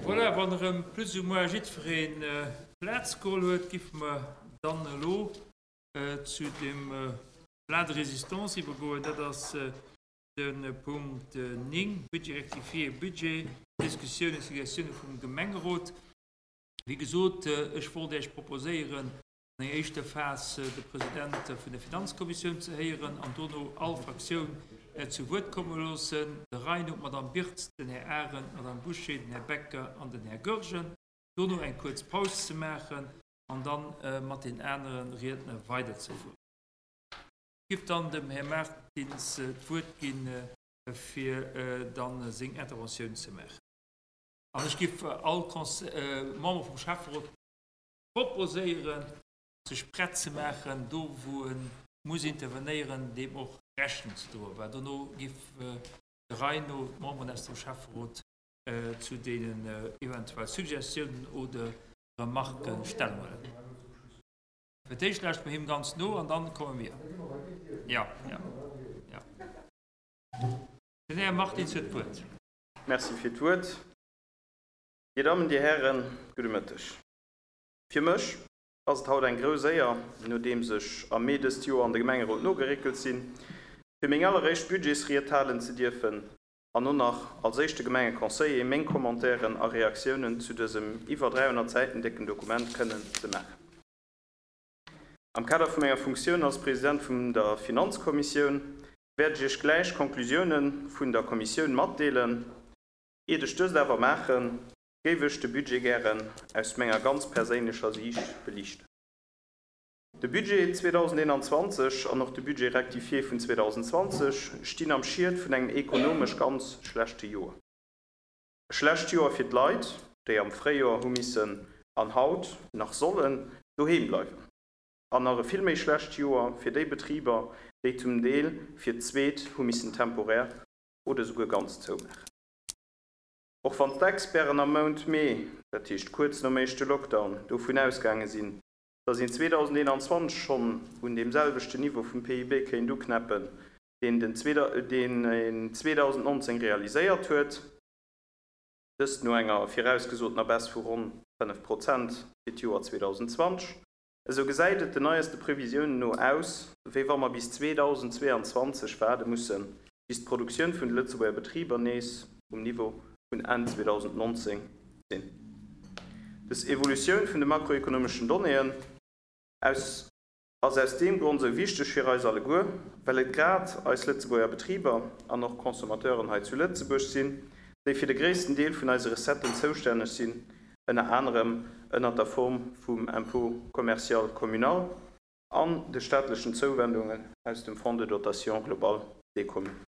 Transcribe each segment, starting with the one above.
Voilà, wann erëm plus ou moins jiddweree Plaz geholl huet, giffe mer dann elo zu dem Plat de résistance iwwergoen. Dat ass de Punkt 9, Budget rectifié, Budget, Diskussioun a Suggestioune vum Gemengerot. Wéi gesot, ech wollt Iech proposéieren, an enger éischter Phas de President vun der Finanzkommissioun ze héieren an dono all Fraktioun zu Wuert komme loossen, der Rei no d'Madame Birtz, den Här Arendt, d'Madame Bouché, den Här Becker an den Här Goergen, dono eng kuerz Paus ze maachen an da mat den anere Riedner weiderzefueren. Ech géif dann dem Här Martins d'Wuert ginn, fir da seng Interventioun ze maachen. An ech géif all Member vum Schäfferot proposéieren, sech prett ze maachen, do wou e muss intervenéieren, deem och Rechnung ze droen, well dono giff der Rei no d'Memberen aus dem Schäfferot zu deenen eventuell Suggestiounen oder Remarquen Stellung huelen. Fir d'éischt lauschte mer him ganz no an dann komme mir. Jo, jo, jo. Den Här Martins huet d'Wuert. Merci fir d'Wuert. Dir Dammen, Dir Hären, gudde Mëtteg. Fir mech ass et haut eng grouss Éier, nodeems ech am Mee dëst Joer an de Gemengerot nogeréckelt sinn, fir meng alleréischt Budgetsried halen ze dierfen an och nach als éischte Gemengeconseiller meng Commentairen a Reaktiounen zu dësem iwwer 300 Säiten décken Dokument kënnen ze maachen. Am Kader vu menger Funktioun als President vun der Finanzkommissioun wäert ech Iech gläich d'Conclusiounen vun der Kommissioun matdeelen. Iert ech dëst awer maachen, géif ech de Budget gären aus menger ganz perséinlecher Siicht beliichten. De Budget 2021 an och de Budget rectifié vun 2020 stinn am Schiet vun engem ekonomesch ganz schlechte Joer. E schlecht Joer fir d'Leit, déi am Fréijoer hu missen an haut nach sollen doheem bleiwen. An nach e vill méi schlecht Joer fir déi Betriber, déi zum Deel fir d'zweet hu missen temporär oder souguer ganz zoumaachen. Och wann d'Experten am Mount Mee, dat heescht kuerz nom éischte Lockdown, dovun ausgaange sinn, datt een 2021 schonn un deem selwechten Niveau vum PIB kéint uknäppen, deen den deen een 2019 realiséiert huet, dëst no enger virausgesotener Baisse vu ronn 5 Prozent fir d'Joer 2020, esou gesäit et den neieste Previsiounen no aus, wéi wa mer bis 2022 waarde mussen, bis d'Produktioun vun de Lëtzebuerger Betriber nees um Niveau vun Enn 2019 sinn. Dës Evolutioun vun de makroekonomeschen Donnéeën aus ass aus deem Grond esou wichteg fir eis alleguer, well et grad eis Lëtzebuerger Betriber an och Consommateuren hei zu Lëtzebuerg sinn, déi fir de gréissten Deel vun eise Recetten zoustänneg sinn, ënner anerem ënnert der Form vum Impôt commercial communal an de staatlechen Zouwendungen aus dem Fonds de dotation globale des communes.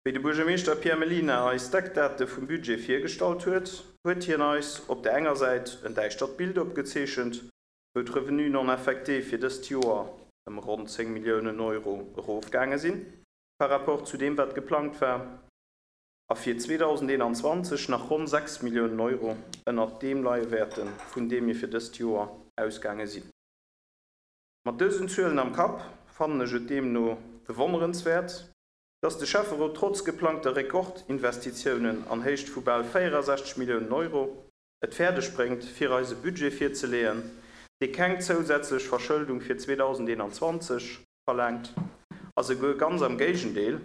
Wéi de Buergermeeschter Pierre Mellina eis d'Eckdate vum Budget virgestallt huet, huet hien eis op der enger Säit en däischtert Bild opgezeechent, wou d'Revenus non affectés fir dëst Joer ëm ronn 10 Milliounen Euro erofgaange sinn par rapport zu deem wat geplangt war, a fir 2021 nach ronn 6 Milliounen Euro ënnert deem leie wäerten, vun deem mir fir dëst Joer ausgaange sinn. Mat dësen Zuelen am Kapp fannen ech et deemno bewonnerenswäert, dass de Schäfferot trotz geplangter Rekordinvestitiounen an Héicht vu bal 64 Milliounen Euro et fäerdeg bréngt, fir eis e Budget virzeleeën, dee keng zousätzlech Verschëldung fir 2021 verlaangt a souguer ganz am Géigendeel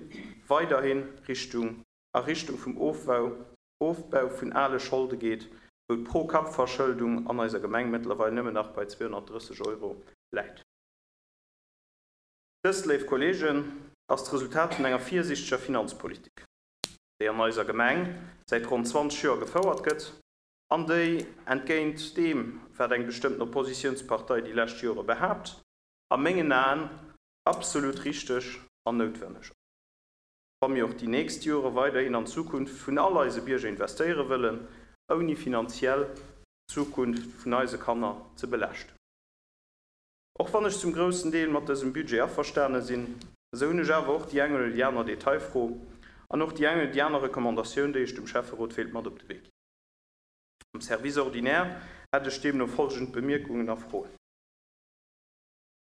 weiderhi Richtung a Richtung vum Ofbau Ofbau vun ale Scholde geet, wou d'Pro-Kapp-Verschëldung an eiser Gemeng mëttlerweil nëmmen nach bei 230 Euro läit. Dëst, léif Kolleegen, ass d'Resultat vun enger virsiichteger Finanzpolitik, déi an eiser Gemeng säit ronn 20 Joer gefouert gëtt an déi, entgéint deem, wat eng bestëmmten Oppositiounspartei déi lescht Jore behaapt, a mengen Aen absolut richteg an noutwenneg ass. wa mir och déi nächst Jore weiderhin an d'Zukunft vun all eise Bierger investéiere wëllen, ouni finanziell d'Zukunft vun eise Kanner ze belaaschten. Och wann ech zum groussen Deel mat dësem Budget averstane sinn, esou hunn ech awer och déi eng oder déi aner Detailfro an och déi eng oder déi aner Recommandatioun, déi ech dem Schäfferot wéilt mat op de Wee ginn. Am Service ordinaire hätt ech deemno folgend Bemierkungen a Froen.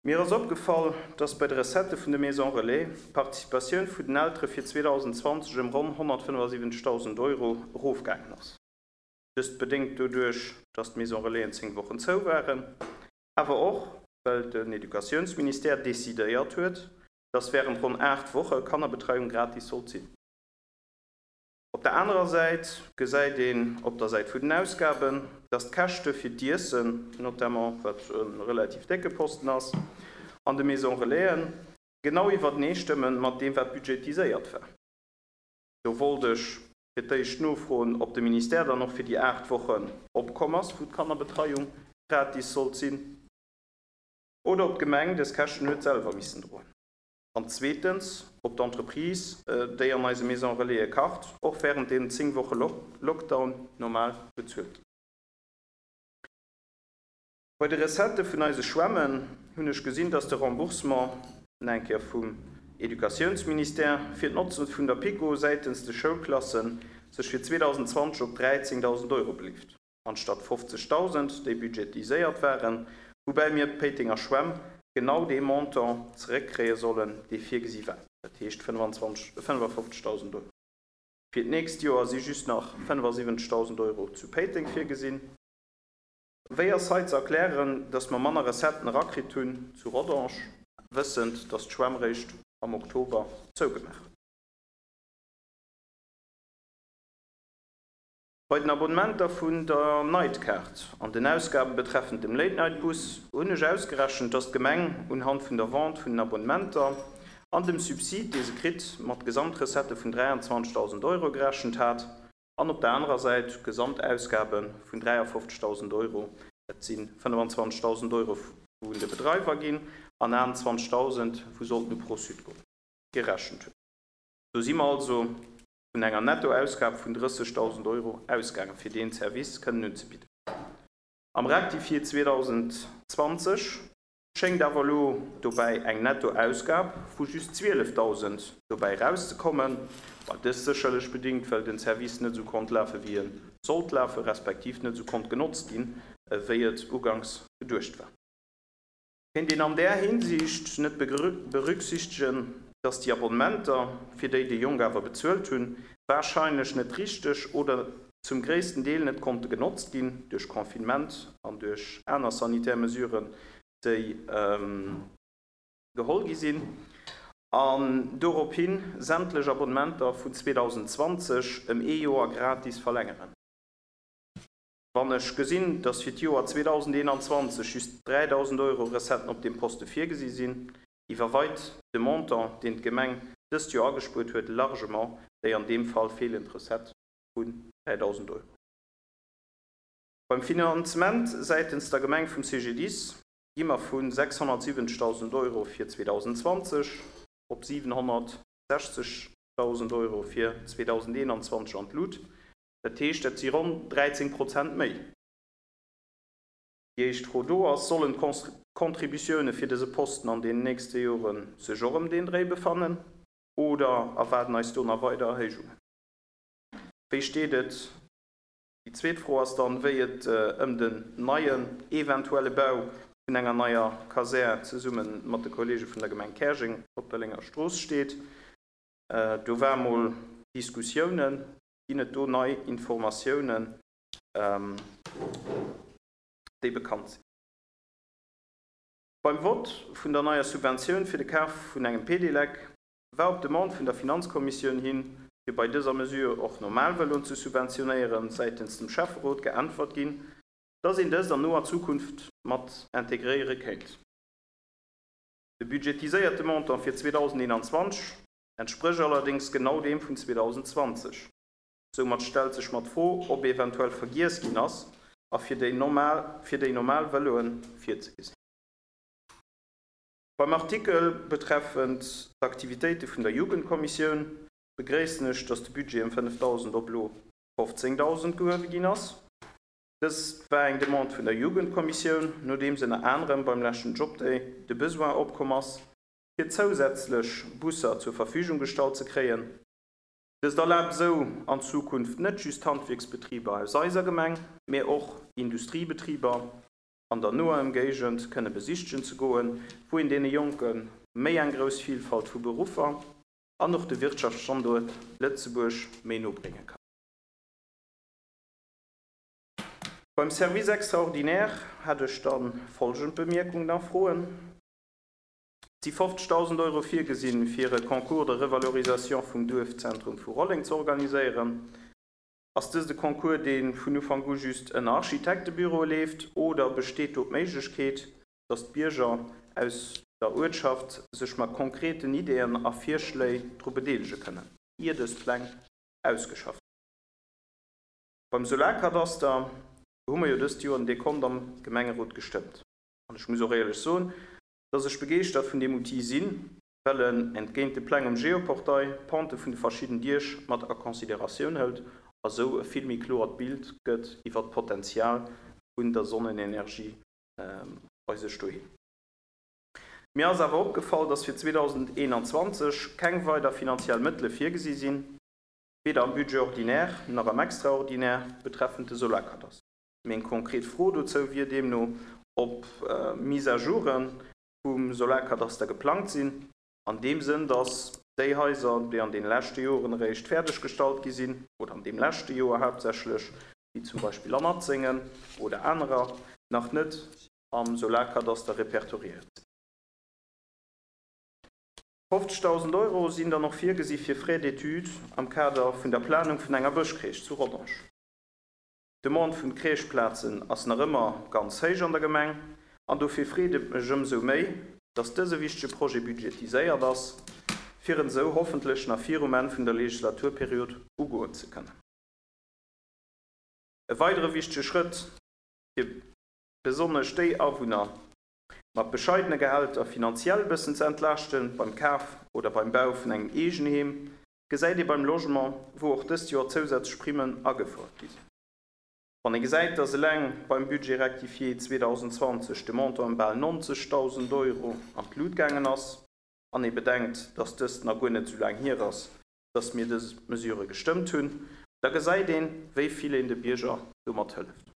Mir ass opgefall, dass bei de Recettë vun de Maisons Relais d'Participatioun vun den Eltere fir 2020 ëm ronn 175.000 Euro erofgaangen ass. Dëst bedéngt doduerch, dass d'Maison Relaisen 10 Wochen zou waren, awer och well den Educatiounsministère decidéiert huet, dass wärend ronn 8 Woche Kannerbetreiung gratis sollt sinn. Op der anerer Säit gesäit een op der Säit vun den Ausgaben, dass d'Käschte fir d'Iessen, notamment, wat e relativ décke Posten ass, an de Maisons Relaisen genau iwwertenee stëmme mat deem, wat budgetiséiert war. Do wollt ech fir d'éischt nofroen, ob de Ministère dann och fir déi 8 Wochen opkomm ass, wou d'Kannerbetreiung gratis sollt sinn, oder ob d'Gemeng dës Käschten huet selwer missen droen. An zweetens, ob d'Entreprise, déi an eise Maison Relaise kacht, och wärend deenen 10 Woche Lockdown normal bezuelt ginn. Bei de Recettë vun eise Schwämmen hunn ech gesinn, dass de Remboursement, nach eng Kéier vum Educatiounsministère, fir d'Notze vun der PiKo säitens de Schoulklassen sech fir 2020 op 13.000 Euro beleeft. anstatt 50.000, déi budgetiséiert waren, woubäi mir d'Péitenger Schwämm genau dee Montant zeréckkréie sollen, dee virgesi war, dat heescht 55.000 Euro. Fir d'nächst Joer si just nach 75.000 Euro zu Péiteng virgesinn. Wéi ass hei ze erklären, datt mer manner Recetten erakritt hunn zu Rodange, wëssend, datt d'Schwämm réischt am Oktober zougemaach huet? Bei den Abonnementer vun der Nightcard an den Ausgabe betreffend dem Late-Night-Bus hunn ech ausgerechent, dass d'Gemeng unhand vun der Vente vun den Abonnementer an dem Subsid, dee se kritt, mat Gesamtrecettë vun 23.000 Euro gerechent hat an op der anerer Säit Gesamtausgabe vun 53.000 Euro, dat si 25.000 Euro wou un de Bedreiwer ginn an 28.000 wou sollten u Pro-Sud goen, gerechent huet. Do si mer also vun enger Nettoausgab vun 30.000 Euro ausgaangen, fir deen Service kënnen unzebidden. Am Rectifié 2020 schéngt awer elo dobäi eng Nettoausgab vu just 12.000 dobäi erauszekommen, wat dëst sécherlech bedingt, well den Service net esou konnt lafen, wéi e sollt lafen, respektiv net esou konnt genotzt ginn, wéi et uganks geduecht war. Kéint een an där Hinsicht net berücksichtegen, dass déi Abonnementer, fir déi déi Jonk awer bezuelt hunn, warscheinlech net richteg oder zum gréissten Deel net konnte genotzt ginn duerch Confinement an duerch aner sanitär Mesuren, déi geholl gi sinn, an dorop hi sämtlech Abonnementer vun 2020 ëm ee Joer gratis verlängeren? Wann ech gesinn, dass fir d'Joer 2021 just 3.000 Euro Recetten op deem Poste virgesi sinn, iwwerweit de Montant, deen d'Gemeng dëst Joer agespuert huet, largement déi an deem Fall feelend Recette vun 3.000 Euro. Beim Finanzement säitens der Gemeng vum CGDIS gi mer vu 670.000 Euro fir 2020 op 760.000 Euro fir 2021 an d'Lut. Dat heescht, dat si ronn 13 Prozent méi. Déi éischt Fro do ass, Sollen d'Contributioune fir dëse Posten an deenen nächste Jore sech och ëm deen Dréi befannen oder erwaarden eis do nach weider Erhéijungen? Wéi steet et, déi zweet Fro ass dann, wéi et ëm den neien, eventuelle Bau vun enger neier Kasär zesumme mat de Kollege vun der Gemeng Käerjeng op der Lénger Strooss steet? Do war mol Diskussiounen. Ginn et do nei Informatiounen, déi bekannt sinn? Beim Vott vun der neier Subventioun fir de Kaf vun engem Pedelec war op Demande vun der Finanzkommissioun hin, fir bei dëser Mesure och normal Vëloen ze subventionéieren, säitens dem Schäfferot geäntwert ginn, dass een dëst an noer Zukunft mat integréiere kéint. De budgetiséierte Montant fir 2021 entsprécht allerdéngs genau deem vun 2020. Soumat stellt sech mer d'Fro, ob eventuell vergiess ginn ass, a fir déi normal fir déi normal Vëloen virzegesinn. Beim Artikel betreffend d'Aktivitéite vun der Jugendkommissioun begréissen ech, dass de Budget ëm 5.000 op elo 15.000 gehuewe ginn ass. Dëst war eng Demande vun der Jugendkommissioun, nodeems ënner anerem beim leschten Jobday de Besoin opkomm ass, fir zousätzlech Busser zur Verfügung gestallt ze kréien. Dëst erlaabt esou an Zukunft net just Handwierksbetriber aus eiser Gemeng, mä och Industriebetriber an der noer Emgéigend kënne besichtegen ze goen, wou een deene Jonke méi eng grouss Vielfalt vu Beruffer an och de Wirtschaftsstanduert Lëtzebuerg méi no brénge kann. Beim Service extraordinaire hätt ech da folgend Bemierkungen a Froen. Et si 50.000 Euro virgesinn, fir e Concours de revalorisation vum Duerfzentrum vu Rolleng ze organiséieren. Ass dëst e Concours, dee vun Ufank u just ënner Architektebüroe leeft, oder besteet do d'Méiglechkeet, datt d'Bierger aus der Uertschaft sech mat konkreten Ideeën a Virschléi dru bedeelege kënnen, ier dës Pläng ausgeschafft ginn? Beim Solarkadaster hu mer jo dëst Joer den Dekont am Gemengerot gestëmmt. An ech muss och éierlech soen, dass ech begeeschtert vun deem Outil sinn, well en, entgéint de Pläng um Geoportail, d'Pente vun de verschidden Diech mat a Consideratioun hëlt a sou e vill méi kloert Bild gëtt iwwert d'Potenzial vun der Sonnenenergie bei sech doheem. Mir ass awer opgefall, dass fir 2021 keng weider finanziell Mëttele virgesi sinn, weder am Budget ordinaire nach am Extraordinaire, betreffend de Solarkadaster. Meng konkret Fro dozou wier deemno, ob Mise-à-joure vum Solarkadaster geplangt sinn, an deem Sënn, dass déi Haiser, déi an deene leschte Joren eréischt fäerdeggestallt gi sinn, oder an deem leschte Joer haaptsächlech, wéi zum Beispill an Atzéngen oder anerer, nach net am Solarkadaster repertoriéiert sinn. 50.000 Euro sinn dann och virgesi fir Frais d'études am Kader vun der Planung vun enger Bëschcrèche zu Rodange. D'Demande vun Crècheplazen ass nach ëmmer ganz héich an der Gemeng an dofir freet et mech ëmsou méi, dass dëse wichtege Projet budgetiséiert ass, fir en esou hoffentlech nach virum Enn vun der Legislaturperiod ugoen ze kënnen. E weidere wichtege Schrëtt, fir besonnesch déi Awunner mat bescheidene Gehälter finanziell e bëssen ze entlaaschten beim Kaf oder beim Bau vun engem Eegenheem, gesäit ee beim Logement, wou och dëst Joer zousätzlech Primmen agefouert gi sinn. Wann ee gesäit, dass eleng beim Budget rectifié 2020 de Montant ëm bal 90.000 Euro an d'Lut gaangen ass, an ee bedenkt, dass dëst nach guer net esou laang hier ass, dass mir dës Mesure gestëmmt hunn, da gesäit een, wéi vill een de Bierger domat hëlleft.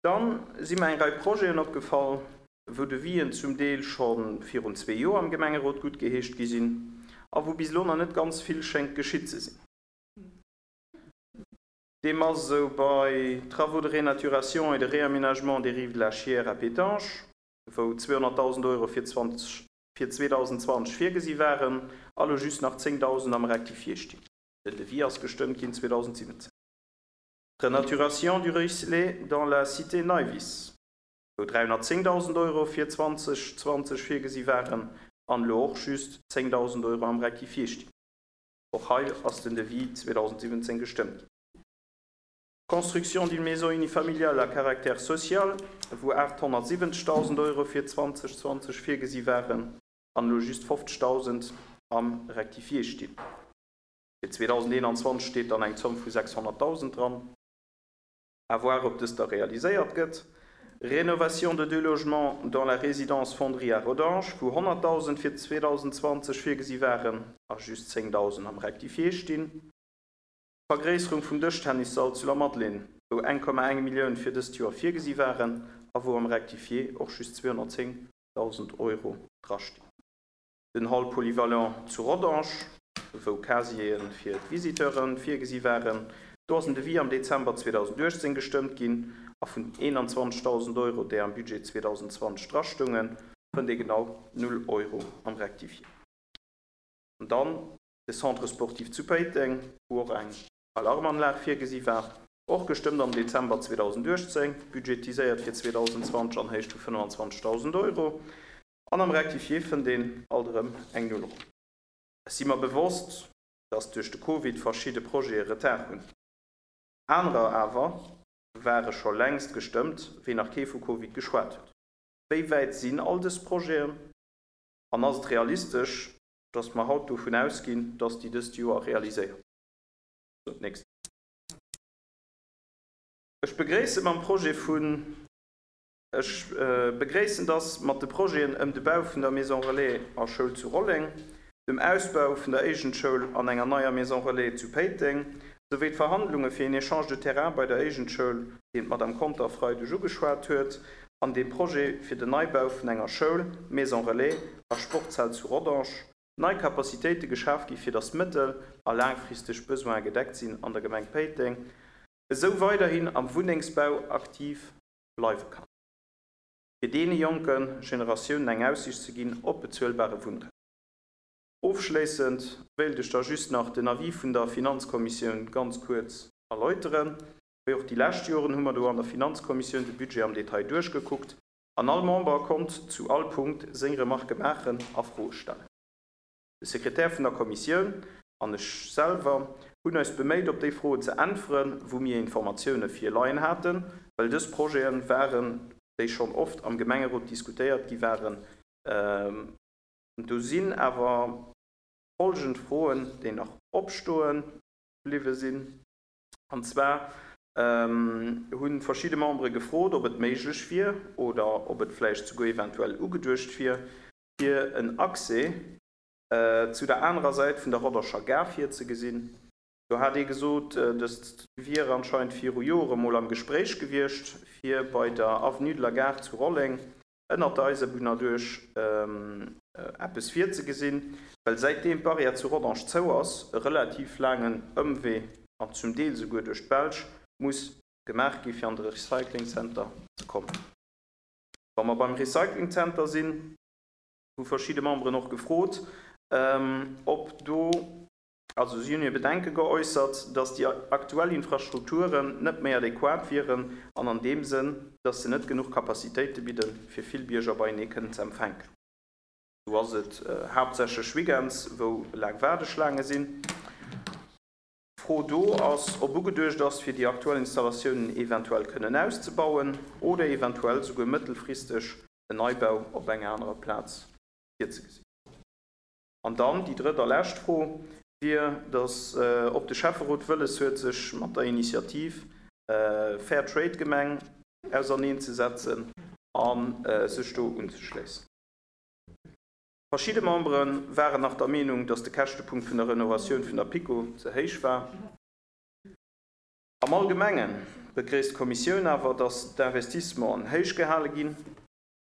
Da si mer eng Rei Projeten opgefall, wou Devis'en zum Deel scho virun zwee Joer am Gemengerot guttgeheescht gi sinn a wou bis elo nach net ganz vill schéngt geschitt ze sinn. Deem ass esou bei Travaux de renaturation et de réaménagement des rives de la Chiers à Pétange, wou 200.000 Euro fir fir 2020 virgesi waren a lo just nach 10.000 am Rectifié stinn. Den Devis ass gestëmmt ginn 2017. Renaturation du Ruisselet dans la Cité Neiwiss, wou 310.000 Euro fir 2020 virgesi waren an elo och just 10.000 Euro am Rectifié stinn. Och hei ass den Devis 2017 gestëmmt ginn. Construction d'une maison unifamiliale à caractère social, wou 870.000 Euro fir 2020 virgesi waren an elo just 50.000 am Rectifié stinn. Fir 2021 steet dann eng Zomm vu 600.000 dran. À voir, ob dës da realiséiert gëtt. Rénovation de deux logements dans la résidence Fonderie à Rodange, wou 100.000 fir 2020 virgesi waren a just 10.000 am Rectifié stinn. D'Vergréisserung vum Dëschtennissall zu Lamadelaine, wou 1,1 Millioun fir dëst Joer virgesi waren a wou am Rectifié och just 210.000 Euro drastinn. Den Hall polyvalent zu Rodange, wou Casiere fir d'Visiteure virgesi waren, do ass en Devis am Dezember 2018 gestëmmt ginn a vun den 21.000 Euro, déi am Budget 2020 drastoungen, fënnt ee genau null Euro am Rectifié. An dann De Centre sportif zu Péiteng, wou och eng Alarmanlag virgesi war, och gestëmmt am Dezember 2018, budgetiséiert fir 2020 an Héicht vu 25.000 Euro. An am Rectifié fënnt een alt erëm eng Null erëm. Ech si mer bewosst, dass duerch de Covid verschidde Projete Retard hunn. Anerer awer ware scho längst gestëmmt, wéi nach kee vu Covid geschwat huet. Wéi wäit sinn all dës Projeten? An ass et realistesch, dass mer haut dovun ausginn, dass déi dëst Joer realiséiert ginn. Sou, nächst. Ech begréisse mam Projet vun, ech begréissen, dass mat de Projeten ëm de Bau vun der Maison relais a Schoul zu Rolleng, dem Ausbau vun der Éigendschoul an enger neier Maison relais zu Péiteng, souwéi d'Verhandlunge fir een Échange de terrain bei der Éigendschoul, deen d'Madame Conter Freideg ugeschwat huet, an dem Projet fir den Neibau vun enger Schoul, Maison relais a Sportshal zu Rodange, nei Capacitéite geschaf gi fir datt mëttel a laangfristeg Besoine gedeckt sinn an der Gemeng Péiteng. Esou weiderhin am Wunnengsbau aktiv bleiwe kann, fir deene jonke Generatiounen eng Aussicht ze ginn op bezuelbare Wunnraum. Ofschléissend wéilt ech da just nach den Avis vun der Finanzkommissioun ganz kuerz erläuteren. Wéi och déi lescht Joren hu mer do an der Finanzkommissioun de Budget am Detail duerchgekuckt an all Member konnt zu all Punkt seng Remarke maachen a Froe stellen. De Sekretär vun der Kommissioun an ech selwer hunn eis beméit op déi Froen ze äntweren, wou mir Informatioune virleien haten, well dës Projete waren, déi schonn oft am Gemengerot diskutéiert gi waren. Do sinn awer folgend Froen, déi nach opstoe bliwwe sinn. An zwar hu verschidde Membere gefrot, ob et méiglech wier oder ob et vläicht souguer eventuell ugeduecht wier, fir en Accès zu der anerer Säit vun der Rodderscher Gare virzegesinn. Do hat ee gesot, dëst wier anscheinend viru Jore mol am Gespréich gewiescht, fir bei der Avenue de la Gare zu Rolleng ënnert der Eisebunn erduerch eppes virzegesinn, well säitdeem d'Barrière zu Rodange zou ass, e relativ laangen Ëmwee an zum Deel souguer duerch d'Belsch muss gemaach gi fir an de Recycling Center ze kommen. Wa mer beim Recycling Center sinn, hu verschidde Memberen och gefrot, ob do, also si hunn hir Bedenke geäussert, dass déi aktuell Infrastrukturen net méi adequat wieren an an deem Sënn, dass se net genuch Capacitéite bidden, fir vill Bierger beienee kënnen ze empfänken. Do ass et haaptsächlech weekends, wou laang Waardeschlaange sinn. D'Fro do ass, ob ugeduecht ass, fir déi aktuell Installatiounen eventuell kënnen auszebauen oder eventuell souguer mëttelfristeg en Neibau op enger anerer Plaz virzegesinn. An dann déi drëtt a lescht Fro wier, dass, ob de Schäfferot wëlles huet, sech mat der Initiativ Fair Trade Gemeng auserneenzesetzen a sech do unzeschléissen. Verschidde Membere waren nach der Meenung, datt de Käschtepunkt vun der Renovatioun vun der PiKo ze héich war. Am Allgemenge begréisst d'Kommissioun awer, datt d'Investissementen héich gehale ginn,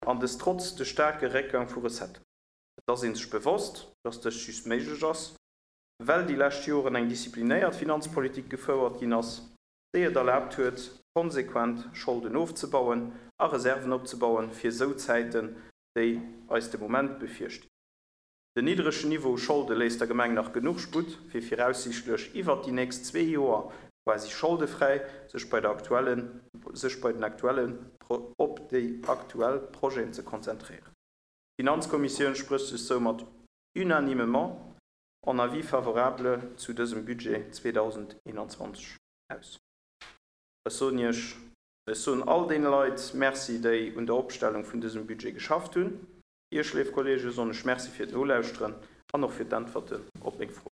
an dëst trotz de staarke Réckgang vu Recetten. Et ass ee sech bewosst, datt dëst just méiglech ass, well déi lescht Joren eng disziplinéiert Finanzpolitik gefouert ginn ass, déi et erlaabt huet, konsequent Scholden ofzebauen a Reserven opzebauen, fir esou Zäiten déi eis de Moment bevirstinn. Den niddregen Niveau u Scholde léisst der Gemeng nach genuch Sputt, fir viraussiichtlech iwwert déi nächst zwee Joer quasi scholdefräi sech bei der aktuellen sech bei den aktuelle op déi aktuell Projeten ze konzentréieren. D'Finanzkommissioun sprécht sech soumat unanimement en Avis favorable zu dësem Budget 2021 aus. Ech soen Iech Ech soen all deene Leit Merci, déi un der Opstellung vun dësem Budget geschafft hunn. Iech, léif Kollegen, soen ech Merci fir d'Nolauschteren an och fir d'Äntwerten op meng Froen.